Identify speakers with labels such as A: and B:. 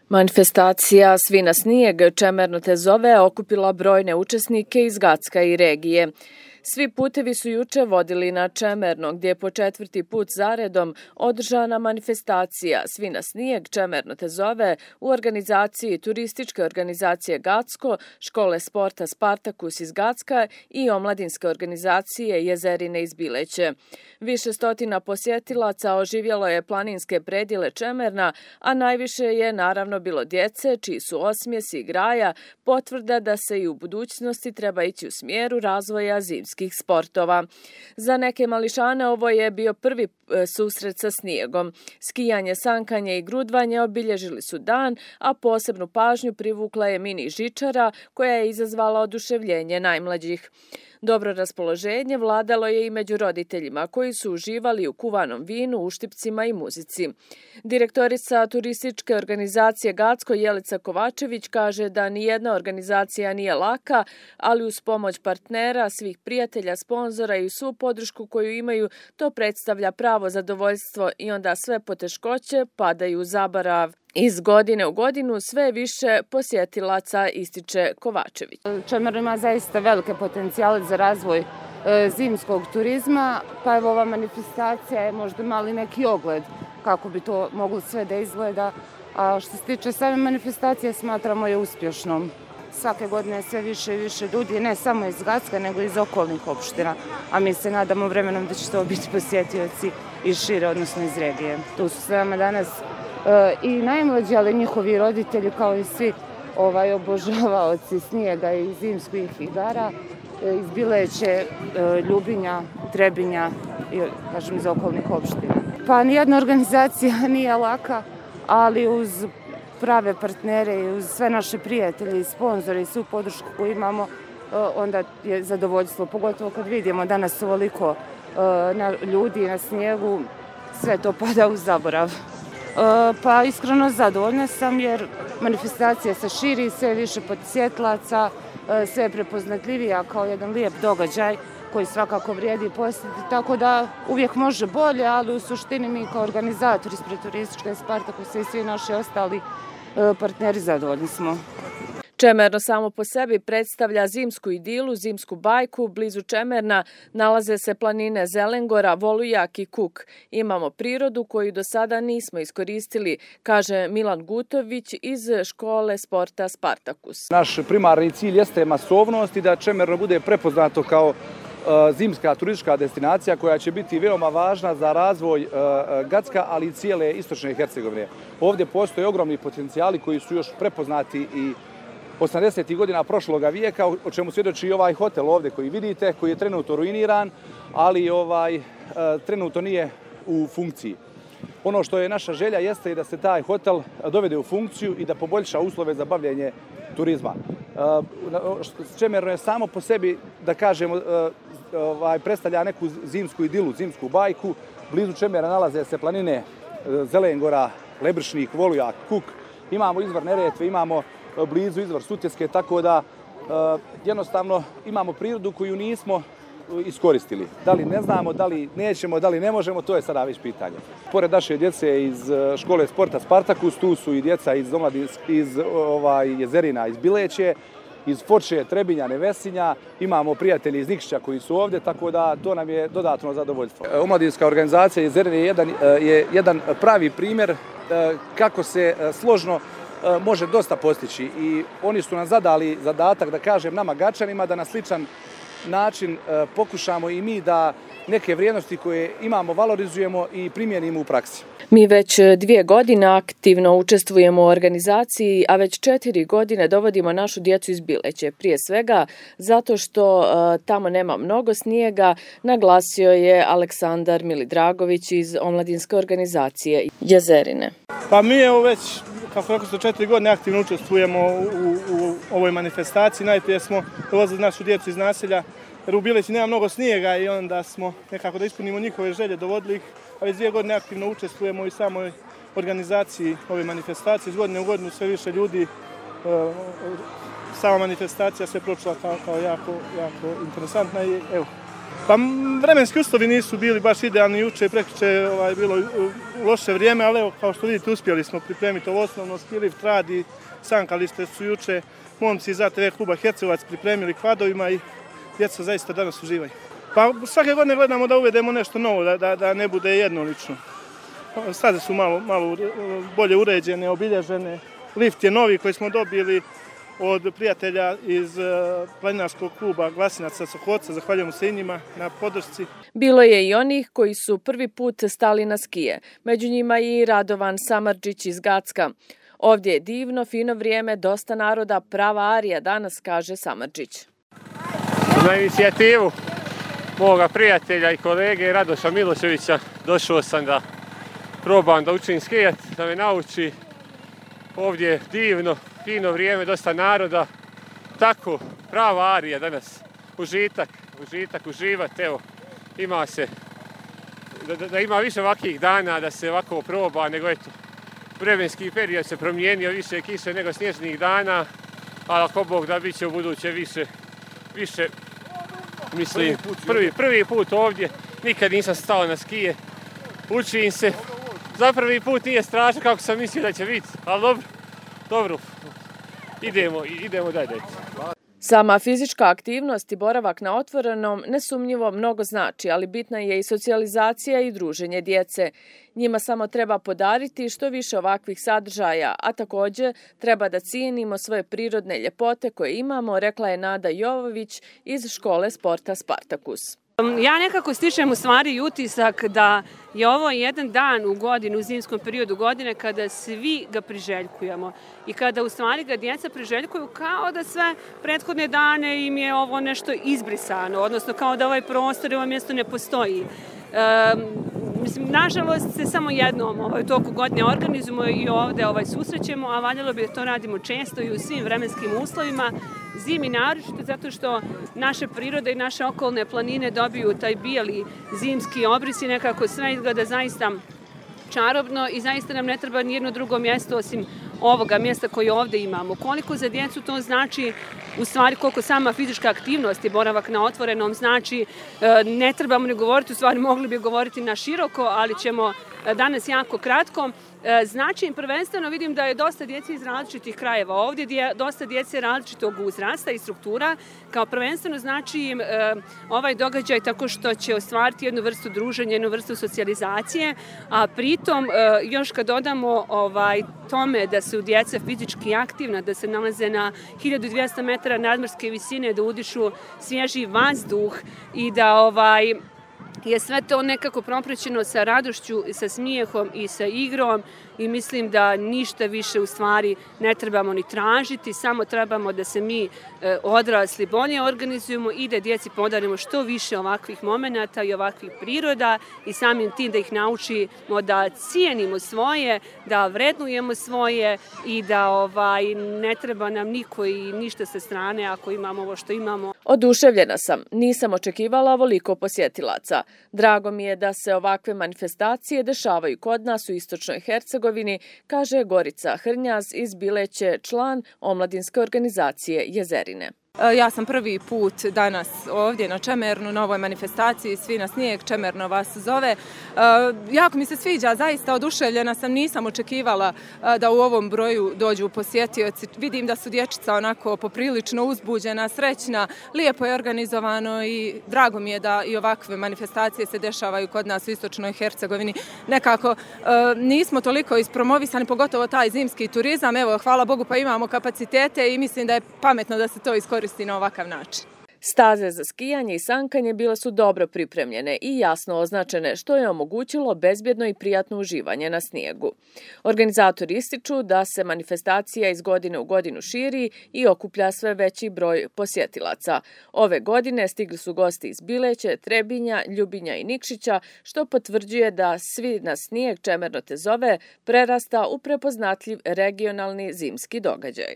A: Manifestacija Svi na snijeg, Čemerno te zove, okupila brojne učesnike iz Gacka i regije. Svi putevi su juče vodili na Čemerno, gdje je po 4. put zaredom održana manifestacija Svi na snijeg, Čemerno te zove u organizaciji Turističke organizacije Gacko, Škole sporta Spartakus iz Gacka i omladinske organizacije Jezerine iz Bileće. Više stotina posjetilaca oživjelo je planinske predjele Čemerna, a najviše je naravno bilo djece, čiji su osmijesi i graja potvrda da se i u budućnosti treba ići u smjeru razvoja zimskih sportova. Za neke mališane ovo je bio prvi susret sa snijegom. Skijanje, sankanje i grudvanje obilježili su dan, a posebnu pažnju privukla je mini žičara koja je izazvala oduševljenje najmlađih. Dobro raspoloženje vladalo je i među roditeljima koji su uživali u kuvanom vinu, uštipcima i muzici. Direktorica Turističke organizacije Gacko Jelica Kovačević kaže da nijedna organizacija nije laka, ali uz pomoć partnera, svih prijatelja, sponzora i svu podršku koju imaju, to predstavlja pravo zadovoljstvo i onda sve poteškoće padaju u zaborav. Iz godine u godinu sve više posjetilaca, ističe Kovačević.
B: Čemerno ima zaista velike potencijale za razvoj zimskog turizma, pa evo ova manifestacija je možda mali neki ogled kako bi to moglo sve da izgleda. A što se tiče same manifestacije, smatramo je uspješnom. Svake godine sve više i više ljudi, ne samo iz Gacka, nego iz okolnih opština, a mi se nadamo vremenom da će to biti posjetioci iz šire, odnosno iz regije. Tu su s nama danas i najmlađi, ali njihovi roditelji kao i svi obožavaoci snijega i zimskih igara iz Bileće, Ljubinja, Trebinja i kažem iz okolnih opština. Pa nijedna organizacija nije laka, ali uz prave partnere i uz sve naše prijatelje i sponzore i svu podršku koju imamo, onda je zadovoljstvo, pogotovo kad vidimo danas ovoliko ljudi na snijegu, sve to pada u zaborav. Pa iskreno zadovoljna sam jer manifestacija se širi, sve više posjetilaca, sve je prepoznatljivija kao jedan lijep događaj koji svakako vrijedi posjetiti, tako da uvijek može bolje, ali u suštini mi kao organizatori ispred Turističke Spartakusa i svi naši ostali partneri zadovoljni smo.
A: Čemerno samo po sebi predstavlja zimsku idilu, zimsku bajku. Blizu Čemerna nalaze se planine Zelengora, Volujak i Kuk. Imamo prirodu koju do sada nismo iskoristili, kaže Milan Gutović iz Škole sporta Spartakus.
C: Naš primarni cilj jeste masovnost i da Čemerno bude prepoznato kao zimska turistička destinacija koja će biti veoma važna za razvoj Gacka, ali i cijele istočne Hercegovine. Ovdje postoje ogromni potencijali koji su još prepoznati i 80. godina prošloga vijeka, o čemu svjedoči i ovaj hotel ovdje koji vidite, koji je trenutno ruiniran, ali trenutno nije u funkciji. Ono što je naša želja jeste i da se taj hotel dovede u funkciju i da poboljša uslove za bavljenje turizma. Čemerno je samo po sebi, da kažemo, predstavlja neku zimsku idilu, zimsku bajku. Blizu Čemerna nalaze se planine Zelengora, Lebršnik, Volujak, Kuk. Imamo izvor Neretve, imamo blizu izvor Sutjeske, tako da jednostavno imamo prirodu koju nismo iskoristili. Da li ne znamo, da li nećemo, da li ne možemo, to je sada već pitanje. Pored naše djece iz Škole sporta Spartakus, tu su i djeca iz Jezerina, iz Bileće, iz Foče, Trebinja, Nevesinja, imamo prijatelji iz Nikšića koji su ovdje, tako da to nam je dodatno zadovoljstvo. Omladinska organizacija Jezerine je jedan pravi primjer kako se složno može dosta postići i oni su nam zadali zadatak, da kažem, nama Gačanima da na sličan način pokušamo i mi da neke vrijednosti koje imamo valorizujemo i primijenimo u praksi.
A: Mi već 2 godine aktivno učestvujemo u organizaciji, a već 4 godine dovodimo našu djecu iz Bileće. Prije svega zato što tamo nema mnogo snijega, naglasio je Aleksandar Milidragović iz omladinske organizacije Jezerine.
D: Pa mi evo već, kako rekao ste, 4 godine aktivno učestvujemo u ovoj manifestaciji. Najprije smo dovozili našu djecu iz naselja, jer u Bileći nema mnogo snijega i onda smo nekako da ispunimo njihove želje, dovodili ih, a već 2 godine aktivno učestvujemo i samoj organizaciji ove manifestacije. Iz godine u godinu sve više ljudi, sama manifestacija se pročula kao jako interesantna i evo, Pa vremenski uslovi nisu bili baš idealni juče, prekjuče je bilo loše vrijeme, ali evo, kao što vidite, uspjeli smo pripremiti ovo osnovno, ski lift radi, sankalište su juče momci iz ATV kluba Hercegovac pripremili kvadovima i djeca zaista danas uživaju. Pa svake godine gledamo da uvedemo nešto novo, da ne bude jednolično. Staze su malo bolje uređene, obilježene. Lift je novi koji smo dobili od prijatelja iz planinarskog kluba Glasinaca Sokoca. Zahvaljujemo se i njima na podršci.
A: Bilo je i onih koji su prvi put stali na skije. Među njima i Radovan Samardžić iz Gacka. Ovdje je divno, fino vrijeme, dosta naroda, prava arija danas, kaže Samardžić.
E: Na inicijativu moga prijatelja i kolege Radoša Miloševića došao sam da probam da učim skijat, da me nauči. Ovdje je divno, fino vrijeme, dosta naroda. Tako, prava arija danas. Užitak, uživati. Evo, ima se, da ima više ovakvih dana, da se ovako proba, nego eto, vremenski period se promijenio, više kiše nego snježnih dana, ali ako Bog da bit će u buduće više, mislim, prvi put ovdje, nikad nisam stao na skije, učim se, za prvi put nije strašno kako sam mislio da će biti, ali dobro, idemo dalje.
A: Sama fizička aktivnost i boravak na otvorenom nesumnjivo mnogo znači, ali bitna je i socijalizacija i druženje djece. Njima samo treba podariti što više ovakvih sadržaja, a također treba da cijenimo svoje prirodne ljepote koje imamo, rekla je Nada Jovović iz škole sporta Spartakus.
F: Ja nekako stičem u stvari utisak da je ovo jedan dan u godinu, u zimskom periodu godine, kada svi ga priželjkujemo i kada u stvari ga djeca priželjkuju kao da sve prethodne dane im je ovo nešto izbrisano, odnosno kao da ovaj prostor i ovo mjesto ne postoji. Nažalost se samo jednom u toku godine organizujemo i ovdje susrećemo, a valjalo bi da to radimo često i u svim vremenskim uslovima. Zimi naročito zato što naše prirode i naše okolne planine dobiju taj bijeli zimski obris i nekako sve izgleda zaista čarobno i zaista nam ne treba nijedno drugo mjesto osim ovoga mjesta koje ovdje imamo. Koliko za djecu to znači, u stvari koliko sama fizička aktivnost i boravak na otvorenom znači, ne trebamo ne govoriti, u stvari mogli bi govoriti na široko, ali ćemo danas jako kratko. Znači im prvenstveno vidim da je dosta djece iz različitih krajeva ovdje, dosta djece različitog uzrasta i struktura. Kao prvenstveno znači im ovaj događaj tako što će ostvariti jednu vrstu druženja, jednu vrstu socijalizacije, a pritom još kad dodamo tome da su djeca fizički aktivna, da se nalaze na 1200 metara nadmorske visine, da udišu svježi vazduh i da je sve to nekako propraćeno sa radošću, sa smijehom i sa igrom i mislim da ništa više u stvari ne trebamo ni tražiti, samo trebamo da se mi odrasli bolje organizujemo i da djeci podarimo što više ovakvih momenata i ovakvih priroda i samim tim da ih naučimo da cijenimo svoje, da vrednujemo svoje i da ne treba nam niko i ništa sa strane ako imamo ovo što imamo.
A: Oduševljena sam, nisam očekivala ovoliko posjetilaca. Drago mi je da se ovakve manifestacije dešavaju kod nas u Istočnoj Hercegovini, kaže Gorica Hrnjaz iz Bileće, član omladinske organizacije Jezerine.
G: Ja sam prvi put danas ovdje na Čemernu, na ovoj manifestaciji Svi na snijeg, Čemerno vas zove. Jako mi se sviđa, zaista oduševljena sam, nisam očekivala da u ovom broju dođu posjetioci. Vidim da su dječica onako poprilično uzbuđena, srećna, lijepo je organizovano i drago mi je da i ovakve manifestacije se dešavaju kod nas u Istočnoj Hercegovini. Nekako nismo toliko ispromovisani, pogotovo taj zimski turizam. Evo, hvala Bogu pa imamo kapacitete i mislim da je pametno da se to iskoristi na ovakav način.
A: Staze za skijanje i sankanje bile su dobro pripremljene i jasno označene, što je omogućilo bezbjedno i prijatno uživanje na snijegu. Organizatori ističu da se manifestacija iz godine u godinu širi i okuplja sve veći broj posjetilaca. Ove godine stigli su gosti iz Bileće, Trebinja, Ljubinja i Nikšića, što potvrđuje da Svi na snijeg, Čemerno te zove, prerasta u prepoznatljiv regionalni zimski događaj.